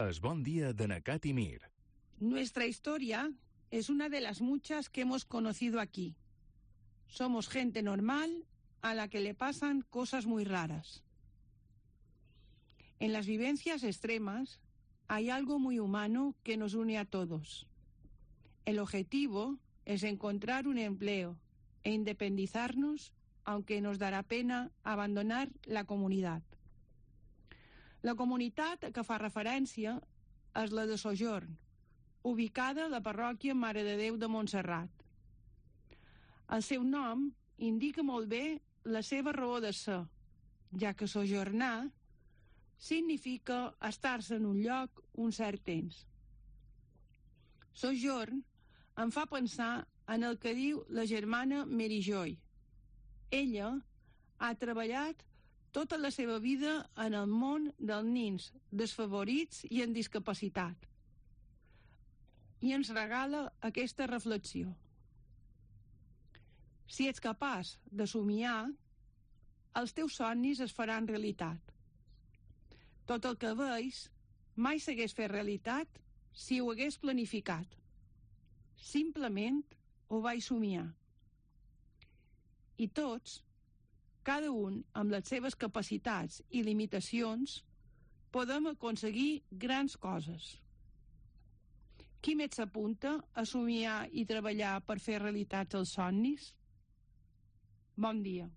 Es Bon Día de Nacat y Mir. Nuestra historia es una de las muchas que hemos conocido aquí. Somos gente normal a la que le pasan cosas muy raras. En las vivencias extremas hay algo muy humano que nos une a todos. El objetivo es encontrar un empleo e independizarnos, aunque nos darà pena abandonar la comunitat. La comunitat a què fa referència és la de Sojorn, ubicada a la parròquia Mare de Déu de Montserrat. El seu nom indica molt bé la seva raó de ser, ja que sojornar significa estar-se en un lloc un cert temps. Sojorn em fa pensar en el que diu la germana Mary Joy. Ella ha treballat tota la seva vida en el món dels nins desfavorits i amb discapacitat. I ens regala aquesta reflexió. Si ets capaç de somiar, els teus somnis es faran realitat. Tot el que veus mai s'hagués fet realitat si ho hagués planificat. Simplement ho vaig somiar. I tots, cada un amb les seves capacitats i limitacions, podem aconseguir grans coses. Qui més s'apunta a somiar i treballar per fer realitats els somnis? Bon dia.